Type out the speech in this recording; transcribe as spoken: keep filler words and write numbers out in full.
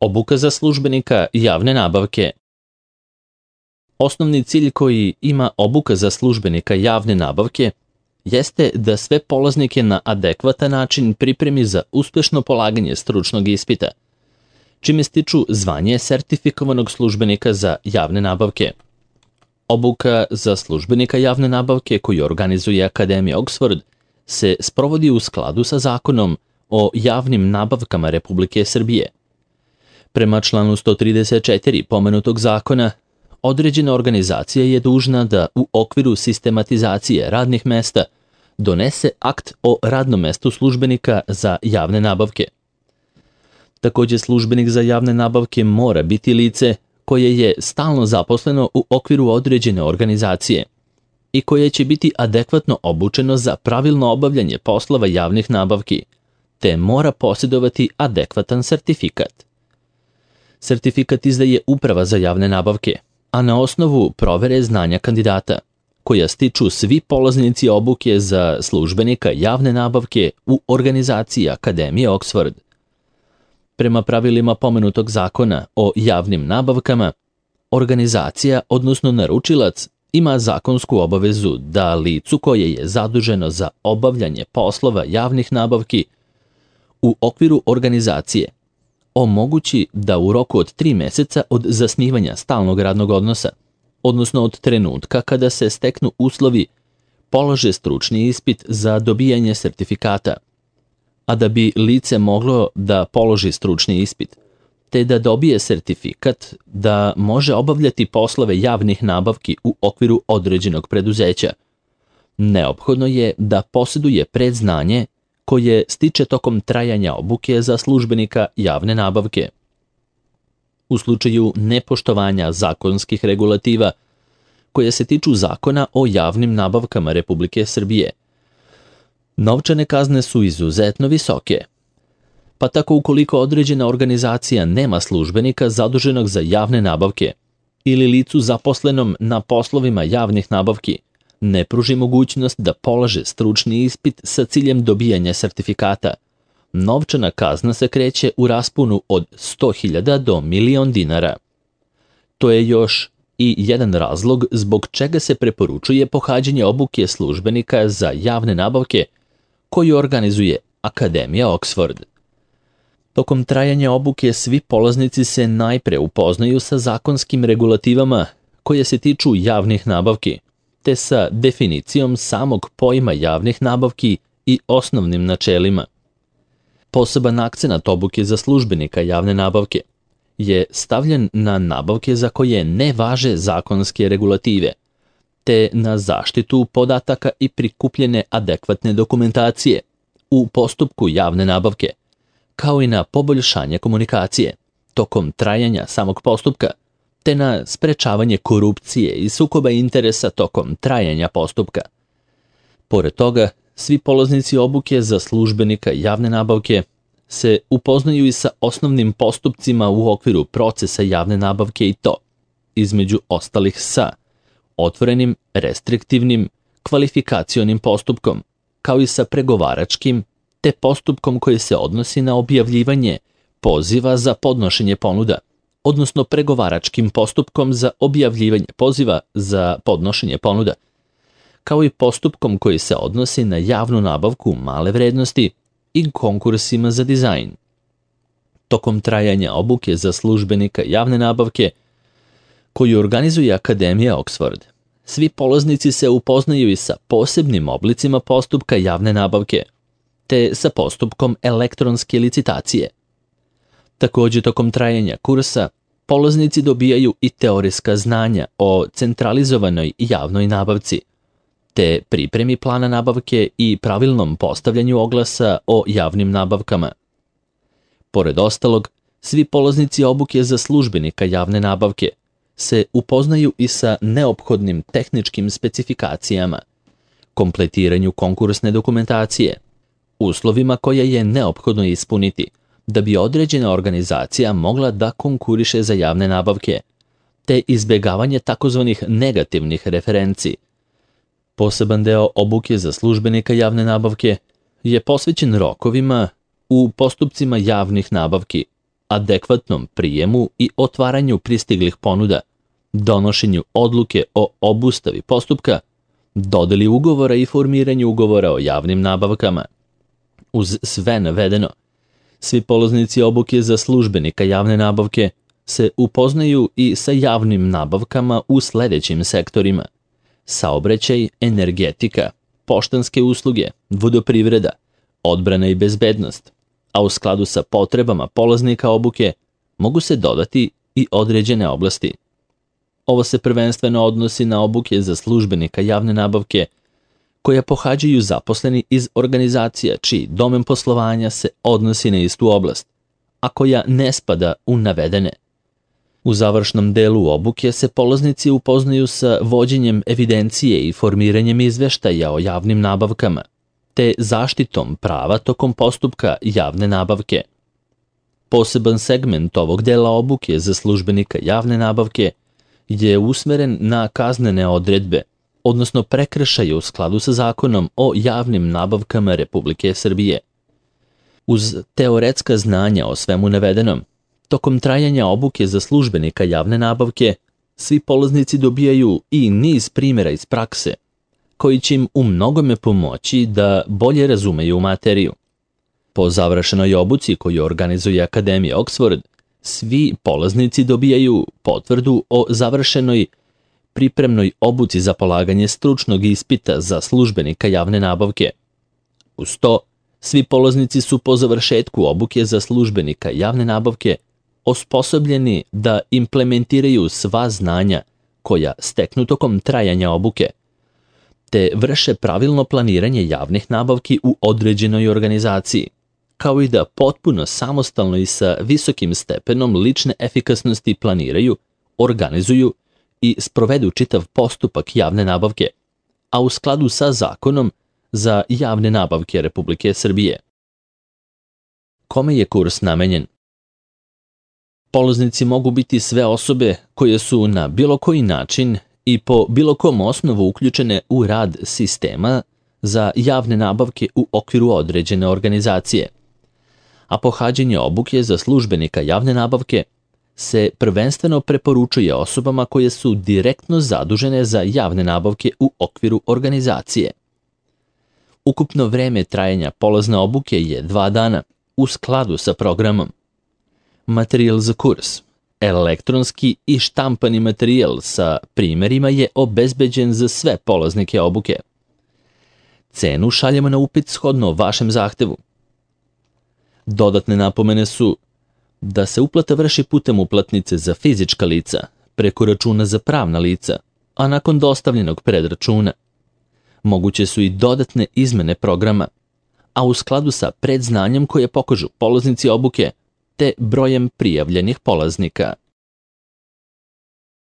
Obuka za službenika javne nabavke. Osnovni cilj koji ima obuka za službenika javne nabavke jeste da sve polaznike na adekvatan način pripremi za uspešno polaganje stručnog ispita, čime stiču zvanje sertifikovanog službenika za javne nabavke. Obuka za službenika javne nabavke koju organizuje Akademija Oxford se sprovodi u skladu sa Zakonom o javnim nabavkama Republike Srbije. Prema članu sto trideset četiri pomenutog zakona, određena organizacija je dužna da u okviru sistematizacije radnih mesta donese akt o radnom mestu službenika za javne nabavke. Takođe, službenik za javne nabavke mora biti lice koje je stalno zaposleno u okviru određene organizacije i koje će biti adekvatno obučeno za pravilno obavljanje poslova javnih nabavki, te mora posjedovati adekvatan sertifikat. Sertifikat izdaje Uprava za javne nabavke, a na osnovu provere znanja kandidata, koja stiču svi polaznici obuke za službenika javne nabavke u organizaciji Akademije Oxford. Prema pravilima pomenutog zakona o javnim nabavkama, organizacija, odnosno naručilac, ima zakonsku obavezu da licu koje je zaduženo za obavljanje poslova javnih nabavki u okviru organizacije omogući da u roku od tri meseca od zasnivanja stalnog radnog odnosa, odnosno od trenutka kada se steknu uslovi, polože stručni ispit za dobijanje sertifikata, a da bi lice moglo da položi stručni ispit, te da dobije sertifikat da može obavljati poslove javnih nabavki u okviru određenog preduzeća, neophodno je da posjeduje predznanje koje stiče tokom trajanja obuke za službenika javne nabavke. U slučaju nepoštovanja zakonskih regulativa koje se tiču Zakona o javnim nabavkama Republike Srbije, novčane kazne su izuzetno visoke, pa tako ukoliko određena organizacija nema službenika zaduženog za javne nabavke ili licu zaposlenom na poslovima javnih nabavki ne pruži mogućnost da polaže stručni ispit sa ciljem dobijanja sertifikata, novčana kazna se kreće u rasponu od sto hiljada do milion dinara. To je još i jedan razlog zbog čega se preporučuje pohađanje obuke službenika za javne nabavke koju organizuje Akademija Oxford. Tokom trajanja obuke svi polaznici se najpre upoznaju sa zakonskim regulativama koje se tiču javnih nabavki, te sa definicijom samog pojma javnih nabavki i osnovnim načelima. Poseban akcenat obuke za službenika javne nabavke je stavljen na nabavke za koje ne važe zakonske regulative, te na zaštitu podataka i prikupljene adekvatne dokumentacije u postupku javne nabavke, kao i na poboljšanje komunikacije tokom trajanja samog postupka, te na sprečavanje korupcije i sukoba interesa tokom trajanja postupka. Pored toga, svi polaznici obuke za službenika javne nabavke se upoznaju i sa osnovnim postupcima u okviru procesa javne nabavke i to, između ostalih sa otvorenim, restriktivnim, kvalifikacionim postupkom, kao i sa pregovaračkim, te postupkom koji se odnosi na objavljivanje poziva za podnošenje ponuda, odnosno pregovaračkim postupkom za objavljivanje poziva za podnošenje ponuda, kao i postupkom koji se odnosi na javnu nabavku male vrednosti i konkursima za dizajn. Tokom trajanja obuke za službenika javne nabavke, koju organizuje Akademija Oxford, svi polaznici se upoznaju i sa posebnim oblicima postupka javne nabavke, te sa postupkom elektronske licitacije. Takođe, tokom trajanja kursa, polaznici dobijaju i teorijska znanja o centralizovanoj javnoj nabavci, te pripremi plana nabavke i pravilnom postavljanju oglasa o javnim nabavkama. Pored ostalog, svi polaznici obuke za službenika javne nabavke se upoznaju i sa neophodnim tehničkim specifikacijama, kompletiranju konkursne dokumentacije, uslovima koje je neophodno ispuniti da bi određena organizacija mogla da konkuriše za javne nabavke, te izbjegavanje takozvanih negativnih referenci. Poseban deo obuke za službenika javne nabavke je posvećen rokovima u postupcima javnih nabavki, adekvatnom prijemu i otvaranju pristiglih ponuda, donošenju odluke o obustavi postupka, dodeli ugovora i formiranju ugovora o javnim nabavkama. Uz sve navedeno, svi polaznici obuke za službenika javne nabavke se upoznaju i sa javnim nabavkama u sledećim sektorima: saobraćaj, energetika, poštanske usluge, vodoprivreda, odbrana i bezbednost, a u skladu sa potrebama polaznika obuke mogu se dodati i određene oblasti. Ovo se prvenstveno odnosi na obuke za službenika javne nabavke koja pohađaju zaposleni iz organizacija čiji domen poslovanja se odnosi na istu oblast, a koja ne spada u navedene. U završnom delu obuke se polaznici upoznaju sa vođenjem evidencije i formiranjem izveštaja o javnim nabavkama, te zaštitom prava tokom postupka javne nabavke. Poseban segment ovog dela obuke za službenika javne nabavke je usmeren na kaznene odredbe, odnosno prekršaje u skladu sa Zakonom o javnim nabavkama Republike Srbije. Uz teoretska znanja o svemu navedenom, tokom trajanja obuke za službenika javne nabavke, svi polaznici dobijaju i niz primjera iz prakse, koji će im u mnogome pomoći da bolje razumeju materiju. Po završenoj obuci koju organizuje Akademija Oxford, svi polaznici dobijaju potvrdu o završenoj pripremnoj obuci za polaganje stručnog ispita za službenika javne nabavke. Uz to, svi polaznici su po završetku obuke za službenika javne nabavke osposobljeni da implementiraju sva znanja koja steknu tokom trajanja obuke, te vrše pravilno planiranje javnih nabavki u određenoj organizaciji, kao i da potpuno samostalno i sa visokim stepenom lične efikasnosti planiraju, organizuju i sprovedu čitav postupak javne nabavke, a u skladu sa Zakonom za javne nabavke Republike Srbije. Kome je kurs namenjen? Polaznici mogu biti sve osobe koje su na bilo koji način i po bilo kom osnovu uključene u rad sistema za javne nabavke u okviru određene organizacije, a pohađanje obuke za službenika javne nabavke se prvenstveno preporučuje osobama koje su direktno zadužene za javne nabavke u okviru organizacije. Ukupno vreme trajanja polazne obuke je dva dana u skladu sa programom. Materijal za kurs, elektronski i štampani materijal sa primerima je obezbeđen za sve polaznike obuke. Cenu šaljemo na upit shodno vašem zahtevu. Dodatne napomene su da se uplata vrši putem uplatnice za fizička lica, preko računa za pravna lica, a nakon dostavljenog predračuna. Moguće su i dodatne izmene programa, a u skladu sa predznanjem koje pokažu polaznici obuke te brojem prijavljenih polaznika.